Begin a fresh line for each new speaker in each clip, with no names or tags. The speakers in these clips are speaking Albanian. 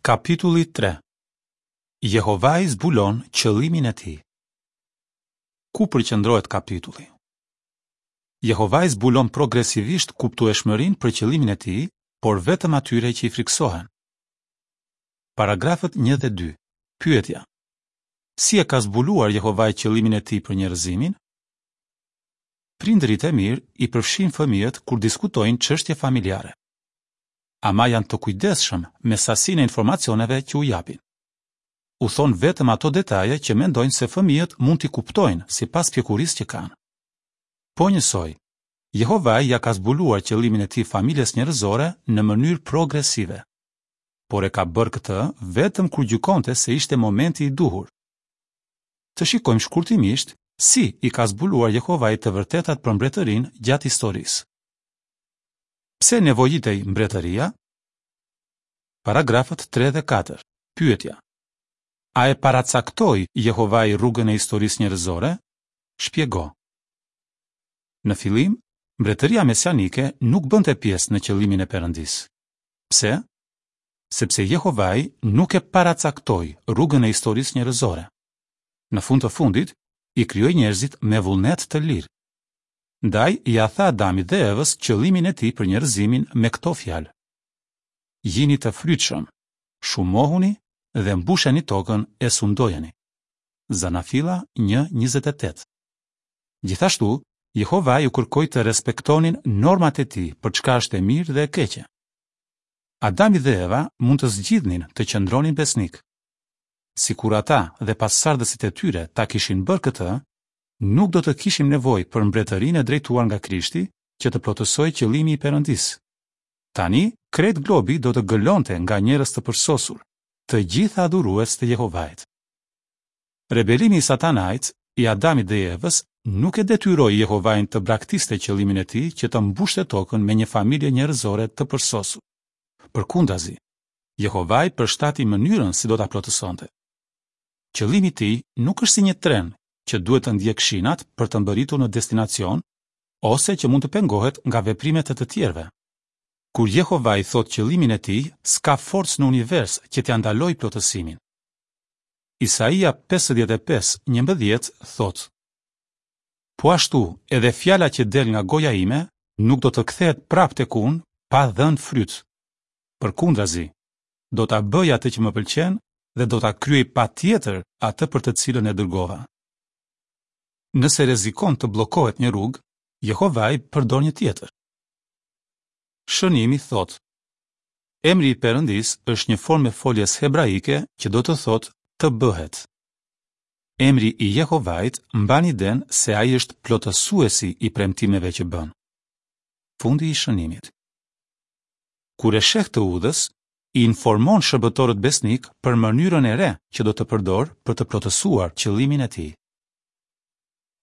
Kapitulli 3 Jehovai zbulon qëllimin e tij. Ku përqendrohet kapitulli? Jehovai zbulon progresivisht kuptueshmërinë për qëllimin e tij, por vetëm atyre që i frikësohen. Paragrafët 1 dhe 2. Pyetja: Si e ka zbuluar Jehovai qëllimin e tij për njerëzimin? Prindërit e mirë i përfshijnë fëmijët kur diskutojnë çështje familjare. Ama janë të kujdesshëm me sasinë e informacioneve që u japin. U thonë vetëm ato detaje që mendojnë se fëmijët mund t'i kuptojnë sipas pjekurisë që kanë. Po njësoj, Jehovai ia ka zbuluar qëllimin e tij familjes njerëzore në mënyrë progresive. Por e ka bërë këtë vetëm kur gjykonte se ishte momenti i duhur. Të shikojmë shkurtimisht si i ka zbuluar Jehovai të vërtetat për mbretërinë gjatë historisë. Pse nevojitej mbretëria? Paragrafët 3 dhe 4. Pyetja: A e paracaktoi Jehovai rrugën e historisë njerëzore? Shpjego. Në fillim, mbretëria mesianike nuk bënte pjesë në qëllimin e Perëndisë. Pse? Sepse Jehovai nuk e paracaktoi rrugën e historisë njerëzore. Në fund të fundit, i krijoi njerëzit me vullnet të lirë. Ndaj, ia tha Adamit dhe Evës qëllimin e tij për njerëzimin me këto fjalë: Jini të frytshëm, shumohuni dhe mbusheni tokën e sundojeni. Zanafilla 1:28. Gjithashtu, Jehovai u kërkoi të respektonin normat e tij për çka është e mirë dhe e keqe. Adami dhe Eva mund të zgjidhnin të qëndronin besnikë. Sikur ata dhe pasardhësit e tyre ta kishin bërë këtë, nuk do të kishim nevojë për mbretërinë e drejtuar nga Krishti që të plotësohej qëllimi i Perëndisë. Tani, krejt globi do të gëlonte nga njerëz të përsosur, të gjithë adhurues të Jehovait. Rebelimi i Satanait, i Adamit dhe i Evës, nuk e detyroi Jehovain të braktiste qëllimin e tij që të mbushte tokën me një familje njerëzore të përsosur. Përkundrazi, Jehovai përshtati mënyrën si do ta plotësonte. Qëllimi i tij nuk është si një tren që duhet të ndjekë shinat për të mbërritur në destinacion ose që mund të pengohet nga veprimet e të tjerëve. Kur Jehovai thotë qëllimin e tij, s'ka forcë në univers që t'ia ndalojë plotësimin. Isaia 55, 11 thotë: Po ashtu, edhe fjala që del nga goja ime nuk do të kthehet prapë tek unë pa dhënë fryt. Përkundrazi, do ta bëjë atë që më pëlqen dhe do ta kryejë patjetër atë për të cilën e dërgova. Nëse rrezikon të bllokohet një rrugë, Jehovai përdor një tjetër. Shënimi thotë: Emri i Perëndisë është një formë e foljes hebraike që do të thotë të bëhet. Emri i Jehovait mban idenë se ai është plotësuesi i premtimeve që bën. Fundi i shënimit. Kur e sheh të udhës, i informon shërbëtorët besnikë për mënyrën e re që do të përdorë për të plotësuar qëllimin e tij.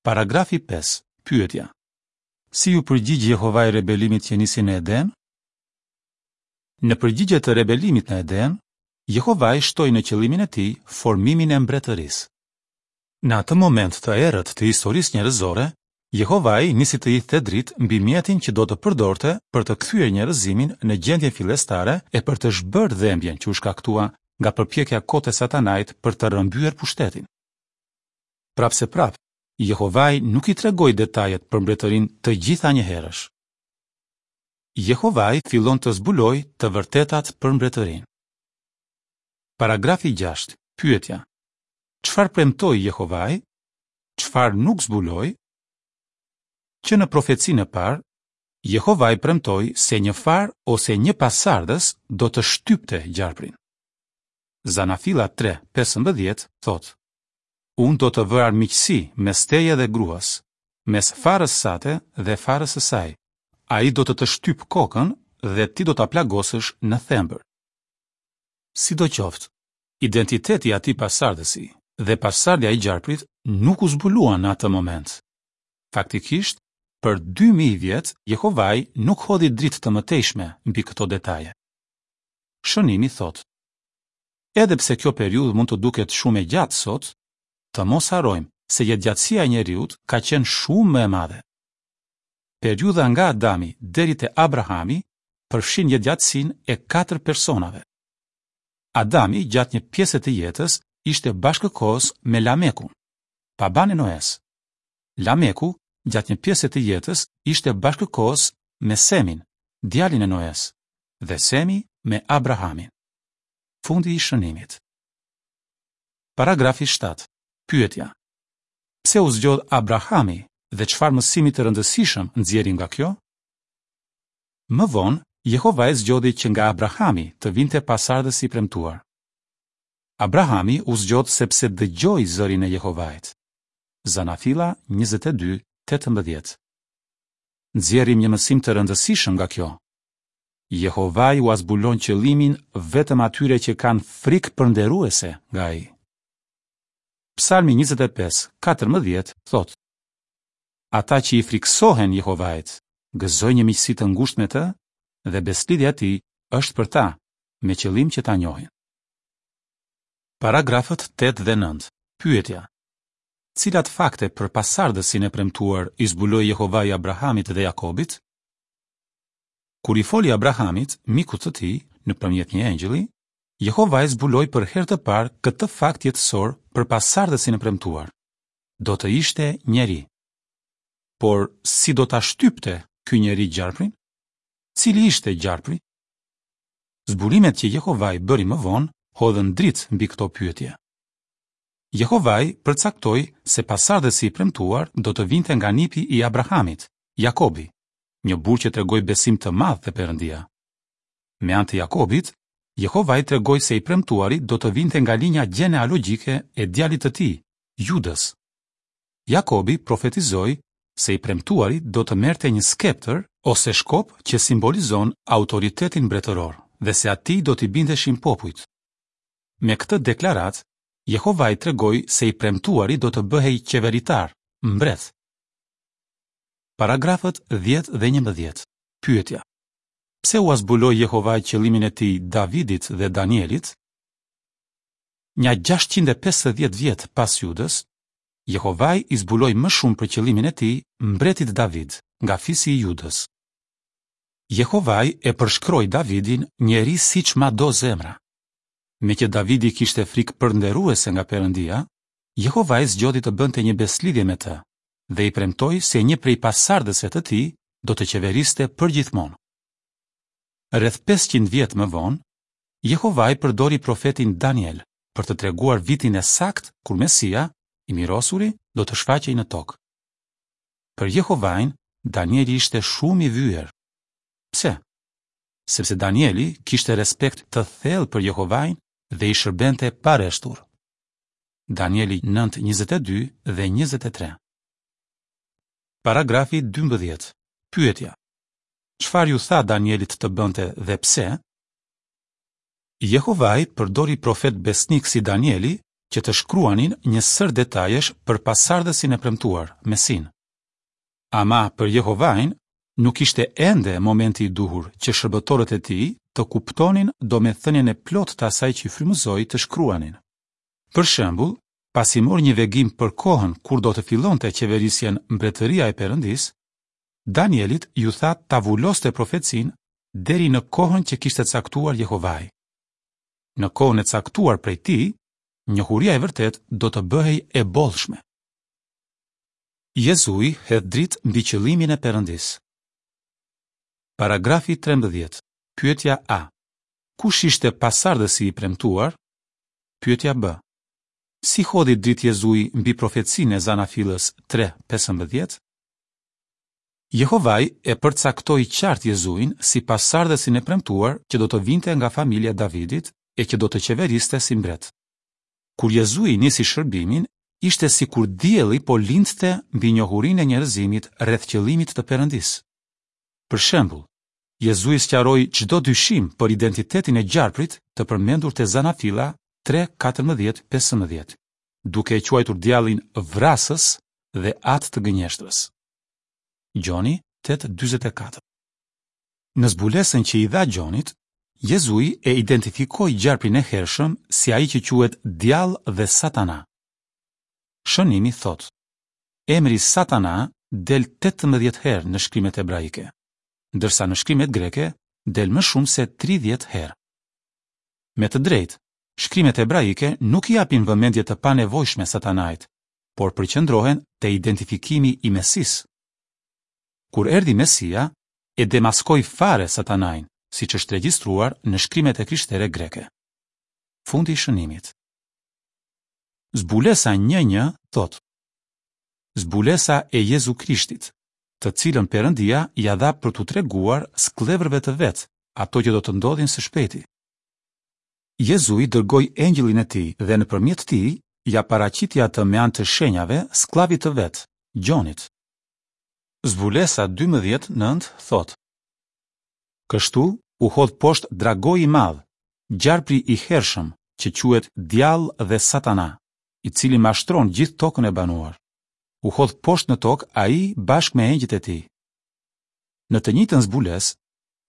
Paragrafi 5. Pyetja: Si iu përgjigj Jehovai rebelimit që nisi në Eden? Në përgjigje të rebelimit në Eden, Jehovai shtoi në qëllimin e tij formimin e mbretërisë. Në atë moment të errët të historisë njerëzore, Jehovai nisi të hidhte dritë mbi mjetin që do të përdorte për të kthyer njerëzimin në gjendjen fillestare e për të zhbërë dhembjen që u shkaktua nga përpjekja e kotë e Satanait për të rrëmbyer pushtetin. Prapëseprapë, Jehovai nuk i tregoi detajet për mbretërinë të gjitha njëherësh. Jehovai fillon të zbulojë të vërtetat për mbretërinë. Paragrafi 6. Pyetja: Çfarë premtoi Jehovai? Çfarë nuk zbuloi? Që në profecinë e parë, Jehovai premtoi se një farë ose një pasardhës do të shtypte gjarprin. Zanafilla 3:15 thotë: Unë do të vë armiqësi mes teje dhe gruas, mes farës sate dhe farës së saj. Ai do të të shtypë kokën dhe ti do ta plagosësh në thembër. Sidoqoftë, Identiteti i atij pasardhësi dhe pasardhja e gjarprit nuk u zbuluan në atë moment. Faktikisht, për 2000 vjet Jehovai nuk hodhi dritë të mëtejshme mbi këto detaje. Shënimi thotë: Edhe pse kjo periudhë mund të duket shumë e gjatë sot, të mos harrojmë se jetëgjatësia e njeriut ka qenë shumë më e madhe. Periudha nga Adami deri te Abrahami përfshin jetëgjatësinë e katër personave. Adami gjatë një pjese të jetës ishte bashkëkohës me Lamekun, babanë e Noes. Lameku gjatë një pjese të jetës ishte bashkëkohës me Semin, djalin e Noes, dhe Semi me Abrahamin. Fundi i shënimit. Paragrafi 7. Pyetja. Pse u zgjodh Abrahami dhe çfarë mësimi të rëndësishëm nxjerrim nga kjo? Më vonë, Jehovai zgjodhi që nga Abrahami të vinte pasardhësi i premtuar. Abrahami u zgjodh sepse dëgjoi zërin e Jehovait. Zanafilla 22, 18. Nxjerrim një mësim të rëndësishëm nga kjo. Jehovai ua zbulon qëllimin vetëm atyre që kanë frikë përnderuese nga ai. Psalmi 25, 14 thotë: Ata që i frikësohen Jehovait, gëzojnë një miqësi të ngushtë me të dhe besëlidhja e tij është për ta, me qëllim që ta njohin. Paragrafët 8 dhe 9. Pyetja: Cilat fakte për pasardhësin e premtuar i zbuloi Jehovai Abrahamit dhe Jakobit? Kur i foli Abrahamit, mikut të tij, nëpërmjet një engjëlli, Jehovai zbuloi për herë të parë këtë fakt jetësor për pasardhësin e premtuar. Do të ishte njeri. Por si do ta shtypte ky njeri gjarprin? Cili ishte gjarpri? Zbulimet që Jehovai bëri më vonë hodhën dritë mbi këto pyetje. Jehovai përcaktoi se pasardhësi i premtuar do të vinte nga nipi i Abrahamit, Jakobi, një burrë që tregoi besim të madh te Perëndia. Me anë të Jakobit, Jehovai tregoi se i premtuari do të vinte nga linja gjenealogjike e djalit të tij, Judës. Jakobi profetizoi se i premtuari do të merrte një skeptër ose shkop që simbolizon autoritetin mbretëror dhe se atij do t'i bindeshin popujt. Me këtë deklaratë, Jehovai tregoi se i premtuari do të bëhej qeveritar, mbret. Paragrafët 10 dhe 11. Pyetja: Pse ua zbuloi Jehovai qëllimin e tij Davidit dhe Danielit? Nja 650 vjet pas Judës, Jehovai i zbuloi më shumë për qëllimin e tij mbretit David, nga fisi i Judës. Jehovai e përshkroi Davidin njeri siç ma do zemra. Meqë Davidi kishte frikë përnderuese nga Perëndia, Jehovai zgjodhi të bënte një besëlidhje me të dhe i premtoi se një prej pasardhësve të tij do të qeveriste përgjithmonë. Rreth 500 vjet më vonë, Jehovai përdori profetin Daniel për të treguar vitin e saktë kur Mesia, i mirosuri, do të shfaqej në tokë. Për Jehovain, Danieli ishte shumë i vyer. Pse? Sepse Danieli kishte respekt të thellë për Jehovain dhe i shërbente pareshtur. Danieli 9:22 dhe 23. Paragrafi 12. Pyetja: Çfarë iu tha Danielit të bënte dhe pse? Jehovai përdori profetë besnikë si Danieli që të shkruanin një sërë detajesh për pasardhësin e premtuar, Mesinë. Ama për Jehovain nuk ishte ende momenti i duhur që shërbëtorët e tij të kuptonin domethënien e plotë të asaj që i frymëzoi të shkruanin. Për shembull, pasi mori një vegim për kohën kur do të fillonte qeverisjen Mbretëria e Perëndisë, Danielit iu tha ta vuloste profecinë deri në kohën që kishte caktuar Jehovai. Në kohën e caktuar prej tij, njohuria e vërtetë do të bëhej e bollshme. Jezui hedh dritë mbi qëllimin e Perëndisë. Paragrafi 13. Pyetja A. Kush ishte pasardhësi i premtuar? Pyetja B. Si hodhi dritë Jezui mbi profecinë e Zanafillës 3:15? Jehovai e përcaktoi qartë Jezuin si pasardhësin e premtuar që do të vinte nga familja e Davidit e që do të qeveriste si mbret. Kur Jezui nisi shërbimin, ishte sikur dielli po lindte mbi njohurinë e njerëzimit rreth qëllimit të Perëndisë. Për shembull, Jezui sqaroi çdo dyshim për identitetin e gjarprit të përmendur te Zanafilla 3, 14, 15, duke e quajtur djallin vrasës dhe atë të gënjeshtrës. Gjoni 8:44. Në zbulesën që i dha Gjonit, Jezui e identifikoi gjarprin e hershëm si ai që quhet djall dhe Satana. Shënimi thotë: Emri Satana del 18 herë në shkrimet hebraike, ndërsa në shkrimet greke del më shumë se 30 herë. Me të drejtë, Shkrimet hebraike nuk i japin vëmendje të panevojshme Satanait, por përqendrohen te identifikimi i Mesisë. Kur erdhi Mesia, e demaskoi fare Satanain, siç është regjistruar në Shkrimet e Krishtere Greke. Fundi i shënimit. Zbulesa një një thotë, Zbulesa e Jezu Krishtit, të cilën Perëndia ia dha për t'u treguar skllevërve të vet ato që do të ndodhin së shpejti. Jezui dërgoi engjëllin e tij dhe nëpërmjet tij ia paraqiti atë me anë të shenjave skllavit të vet, Gjonit. Zbulesa 12 nëntë thotë, Kështu u hodh poshtë dragoi i madh, gjarpri i hershëm, që quhet Djall dhe Satana, i cili mashtron gjithë tokën e banuar. U hodh poshtë në tokë ai bashkë me engjëjt e tij. Në të njëjtën zbulesë,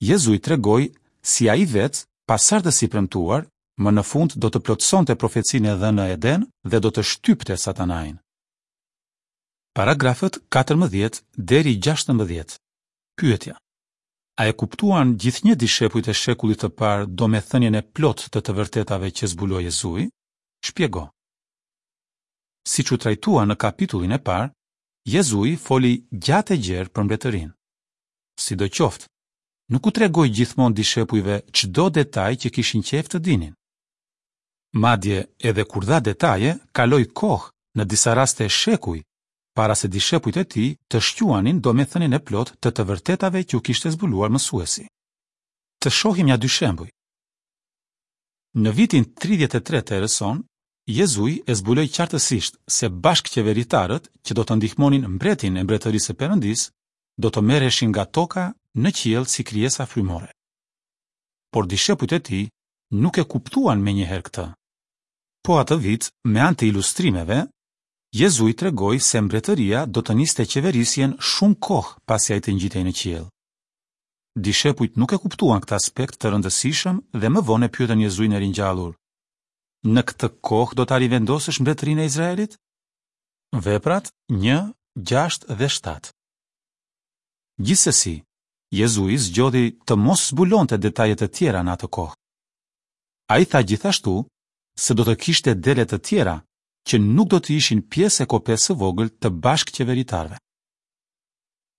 Jezui tregoi si ai vetë, pasardhësi i premtuar, më në fund do të plotësonte profecinë e dhënë në Eden dhe do të shtypte Satanain. Paragrafët 14 deri 16. Pyetja: A e kuptuan gjithnjë dishepujt e shekullit të parë domethënien e plotë të të vërtetave që zbuloi Jezui? Shpjego. Siç u trajtua në kapitullin e parë, Jezui foli gjatë e gjerë për mbretërinë. Sidoqoftë, nuk u tregoi gjithmonë dishepujve çdo detaj që kishin qejf të dinin. Madje, edhe kur dha detaje, kaloi kohë, në disa raste shekuj, para se dishepujt e tij të shquanin domethënien e plotë të të vërtetave që u kishte zbuluar mësuesi. Të shohim nja dy shembuj. Në vitin 33 të erës sonë, Jezui e zbuloi qartësisht se bashkëqeveritarët që do të ndihmonin mbretin e Mbretërisë së Perëndisë do të merreshin nga toka në qiell si krijesa frymore. Por dishepujt e tij nuk e kuptuan menjëherë këtë. Po atë vit, me anë të ilustrimeve, Jezui tregoi se mbretëria do të niste qeverisjen shumë kohë pasi ai të ngjitej në qiell. Dishepujt nuk e kuptuan këtë aspekt të rëndësishëm dhe më vonë e pyetën Jezuin e ringjallur, Në këtë kohë do ta rivendosësh mbretërinë e Izraelit? Veprat një, gjashtë dhe shtatë. Gjithsesi, Jezui zgjodhi të mos zbulonte detaje të tjera në atë kohë. Ai tha gjithashtu se do të kishte dele të tjera që nuk do të ishin pjesë e kopesë së vogël të bashkëqeveritarëve.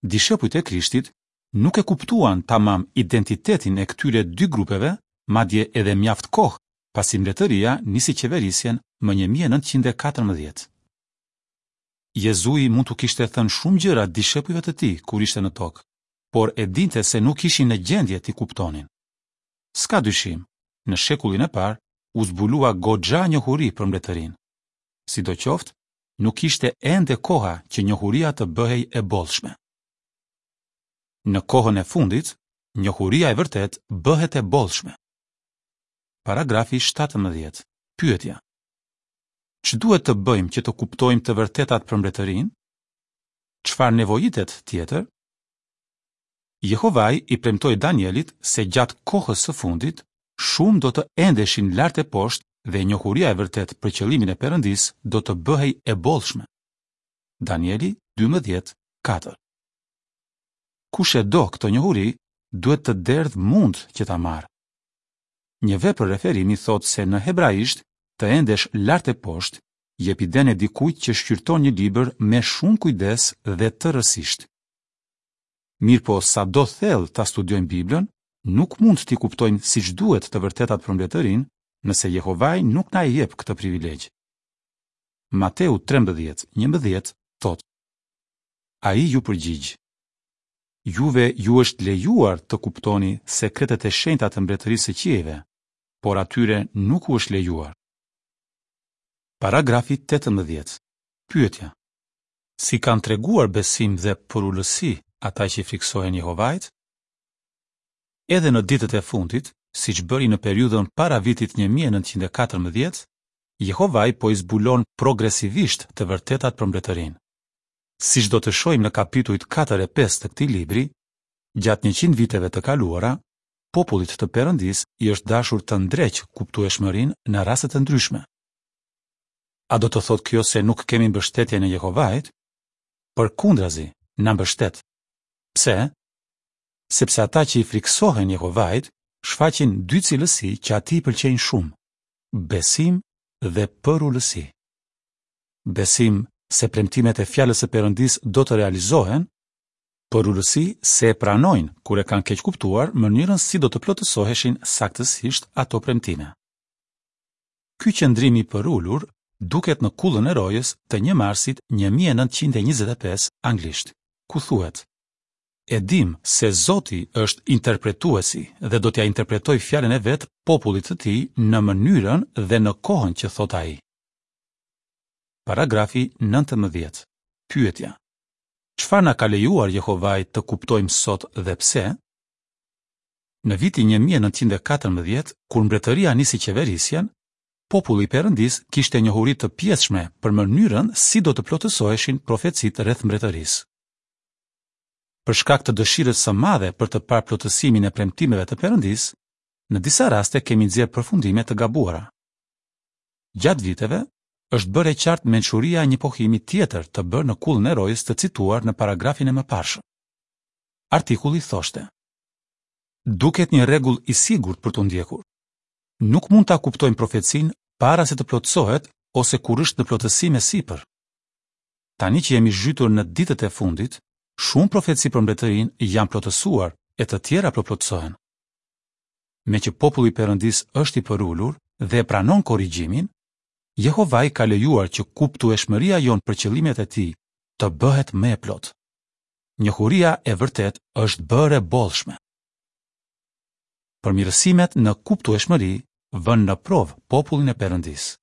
Dishepujt e Krishtit nuk e kuptuan tamam identitetin e këtyre dy grupeve, madje edhe mjaft kohë pasi mbretëria nisi qeverisjen më 1914. Jezui mund t'u kishte thënë shumë gjëra dishepujve të tij kur ishte në tokë, por e dinte se nuk ishin në gjendje t'i kuptonin. S'ka dyshim, në shekullin e parë u zbulua goxha njohuri për mbretërinë. Sidoqoftë, nuk ishte ende koha që njohuria të bëhej e bollshme. Në kohën e fundit, njohuria e vërtetë bëhet e bollshme. Paragrafi 17. Pyetja: Ç'duhet të bëjmë që të kuptojmë të vërtetat për mbretërinë? Çfarë nevojitet tjetër? Jehovai i premtoi Danielit se gjatë kohës së fundit, shumë do të endeshin lart e poshtë dhe njohuria e vërtetë për qëllimin e Perëndisë do të bëhej e bollshme. Danieli 12, 4 Kush e do këtë njohuri, duhet të derdhë mund që ta marrë. Një vepër referimi thotë se në hebraisht të endesh lart e poshtë jep idenë e dikujt që shqyrton një libër me shumë kujdes dhe tërësisht. Mirëpo, sado thellë ta studiojmë Biblën, nuk mund t'i kuptojmë siç duhet të vërtetat për Mbretërinë, nëse Jehovai nuk na e jep këtë privilegj. Mateu 13, 11 thotë: Ai iu përgjigj: Juve ju është lejuar të kuptoni sekretet e shenjta të Mbretërisë së qiejve, por atyre nuk u është lejuar. Paragrafi 18. Pyetja: Si kanë treguar besim dhe përulësi ata që i frikësohen Jehovait? Edhe në ditët e fundit, siç bëri në periudhën para vitit 1914, Jehovai po i zbulon progresivisht të vërtetat për Mbretërinë. Siç do të shohim në kapitujt 4 e 5 të këtij libri, gjatë 100 viteve të kaluara, popullit të Perëndisë i është dashur të ndreqë kuptueshmërinë në raste të ndryshme. A do të thotë kjo se nuk kemi mbështetjen e Jehovait? Përkundrazi, na mbështet. Pse? Sepse ata që i frikësohen Jehovait shfaqin dy cilësi që atij i pëlqejnë shumë. Besim dhe përulësi. Besim se premtimet e Fjalës së Perëndisë do të realizohen, përulësi se e pranojnë kur e kanë keqkuptuar mënyrën si do të plotësoheshin saktësisht ato premtime. Ky qëndrim i përulur duket në Kullën e Rojës të një marsit 1925 anglisht, ku thuhet: E dimë se Zoti është interpretuesi dhe do t'ia interpretojë fjalën e vet popullit të tij në mënyrën dhe në kohën që thotë ai. Paragrafi 19. Pyetja: Çfarë na ka lejuar Jehovai të kuptojmë sot dhe pse? Në vitin 1914, kur mbretëria nisi qeverisjen, populli i Perëndisë kishte njohuri të pjesshme për mënyrën si do të plotësoheshin profecitë rreth mbretërisë. Për shkak të dëshirës së madhe për të parë plotësimin e premtimeve të Perëndisë, në disa raste kemi nxjerrë përfundime të gabuara. Gjatë viteve, është bërë e qartë mençuria e një pohimi tjetër të bërë në Kullën e Rojës të cituar në paragrafin e mëparshëm. Artikulli thoshte: Duket një rregull i sigurt për t'u ndjekur. Nuk mund ta kuptojmë profecinë para se të plotësohet ose kur është në plotësim e sipër. Tani që jemi zhytur në ditët e fundit, shumë profeci për mbretërinë janë plotësuar e të tjera po plotësohen. Meqë populli i Perëndisë është i përulur dhe e pranon korrigjimin, Jehovai ka lejuar që kuptueshmëria jonë për qëllimet e tij të bëhet më e plotë. Njohuria e vërtetë është bërë e bollshme. Përmirësimet në kuptueshmëri vënë në provë popullin e Perëndisë.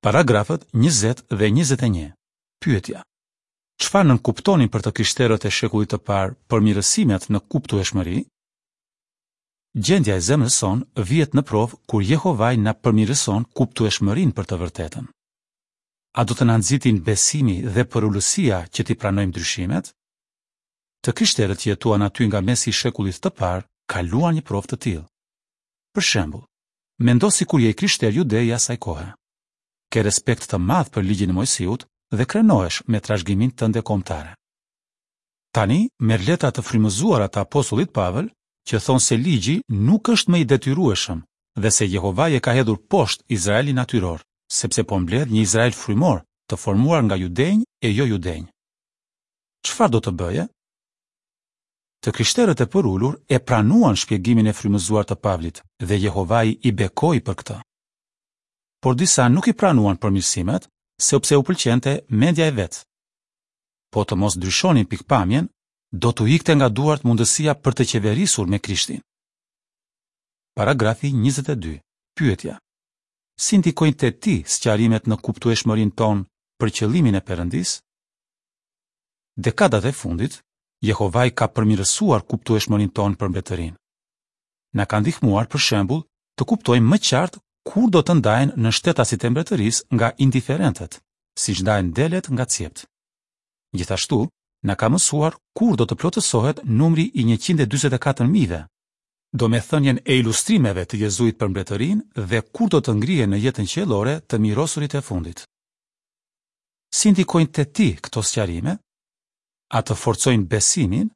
Paragrafët 20 dhe 21. Pyetja: Çfarë nënkuptonin për të krishterët e shekullit të parë përmirësimet në kuptueshmëri? Gjendja e zemrës sonë vihet në provë kur Jehovai na përmirëson kuptueshmërinë për të vërtetën. A do të na nxitin besimi dhe përulësia që t'i pranojmë ndryshimet? Të krishterët që jetuan aty nga mesi i shekullit të parë kaluan një provë të tillë. Për shembull, mendo sikur je i krishterë jude i asaj kohe. Ke respekt të madh për Ligjin e Moisiut dhe krenohesh me trashëgiminë tënde kombëtare. Tani merr letra të frymëzuara të apostullit Pavël që thonë se Ligji nuk është më i detyrueshëm dhe se Jehovai e ka hedhur poshtë Izraelin natyror, sepse po mbledh një Izrael frymor të formuar nga judenj e jojudenj. Çfarë do të bëje? Të krishterët e përulur e pranuan shpjegimin e frymëzuar të Pavlit dhe Jehovai i bekoi për këtë. Por disa nuk i pranuan përmirësimet, sepse u pëlqente mendja e vet. Po të mos ndryshonin pikëpamjen, do t'u ikte nga duart mundësia për të qeverisur me Krishtin. Paragrafi 22. Pyetja: Si ndikojnë te ti sqarimet në kuptueshmërinë tonë për qëllimin e Perëndisë? Dekadat e fundit, Jehovai ka përmirësuar kuptueshmërinë tonë për mbretërinë. Na ka ndihmuar, për shembull, të kuptojmë më qartë kur do të ndahen nënshtetasit e mbretërisë nga indiferentët, siç ndahen delet nga cjeptë. Gjithashtu, na ka mësuar kur do të plotësohet numri i 144 mijëve, domethënien e ilustrimeve të Jezuit për mbretërinë dhe kur do të ngrihen në jetën qiellore të mirosurit e fundit. Si ndikojnë te ti këto sqarime? A të forcojnë besimin?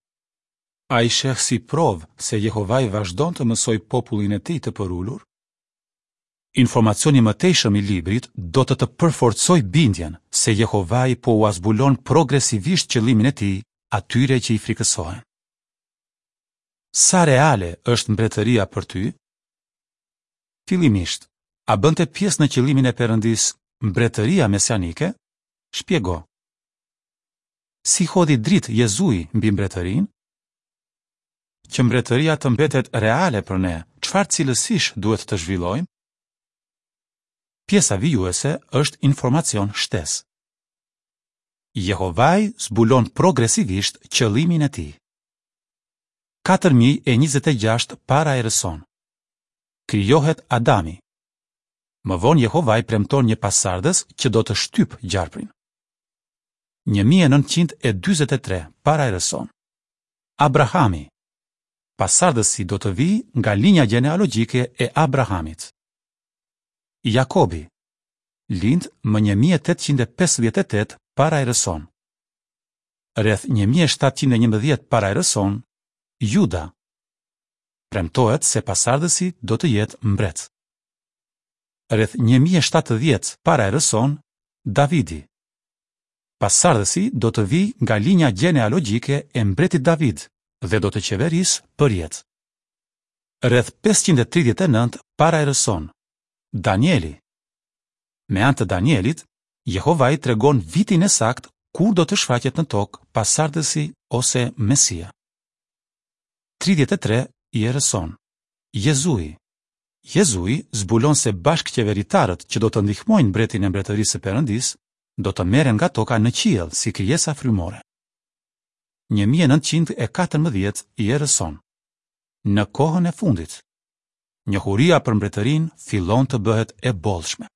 A i sheh si provë se Jehovai vazhdon të mësojë popullin e tij të përulur? Informacioni i mëtejshëm i librit do të të përforcojë bindjen se Jehovai po ua zbulon progresivisht qëllimin e tij atyre që i frikësohen. Sa reale është mbretëria për ty? Fillimisht, a bënte pjesë në qëllimin e Perëndisë mbretëria mesianike? Shpjego. Si hodhi dritë Jezui mbi mbretërinë? Që mbretëria të mbetet reale për ne, çfarë cilësish duhet të zhvillojmë? Pjesa vijuese është informacion shtesë. Jehovai zbulon progresivisht qëllimin e tij. 4026 para erës sonë. Krijohet Adami. Më vonë Jehovai premton një pasardhës që do të shtypë gjarprin. 1943 para erës sonë. Abrahami. Pasardhësi do të vijë nga linja gjenealogjike e Abrahamit. Jakobi. Lind më 1858 para erës sonë. Rreth 1711 para erës sonë, Juda. Premtohet se pasardhësi do të jetë mbret. Rreth 1070 para erës sonë, Davidi. Pasardhësi do të vijë nga linja gjenealogjike e mbretit David dhe do të qeverisë përjetë. Rreth 539 para erës sonë, Danieli. Me anë të Danielit, Jehovai tregon vitin e saktë kur do të shfaqet në tokë pasardhësi ose Mesia. 33 i erës sonë. Jezui. Jezui zbulon se bashkëqeveritarët që do të ndihmojnë mbretin e Mbretërisë së Perëndisë do të merren nga toka në qiell si krijesa frymore. 1914 i erës sonë. Në kohën e fundit, njohuria për mbretërinë fillon të bëhet e bollshme.